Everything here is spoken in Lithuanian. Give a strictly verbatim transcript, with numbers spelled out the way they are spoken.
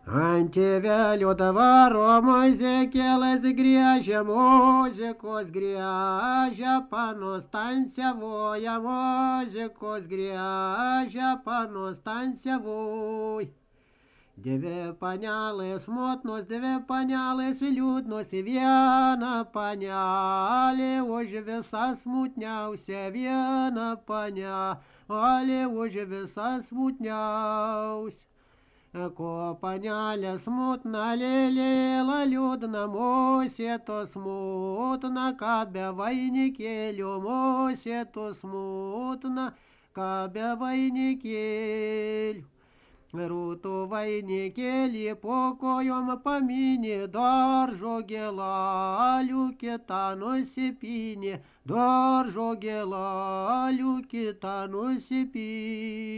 Ant tėvelio dvaro muzikėlės griežia, muzikos griežia, panostanciavoja, muzikos griežia, panostanciavoj. Dvi panelės motnos, dvi panelės liūdnos, viena panelė už visą smutniausia, viena panelė už visą smutniausia. Ko panelė smutna, lėlėla liūdna, musė to smutna, ką be vainikėlio, musė to smutna, ką be vainikėlio. Rūtų vainikėlį po kojom paminė, daržo gėlalių kitą nusipynė, daržo gėlalių kitą nusipynė.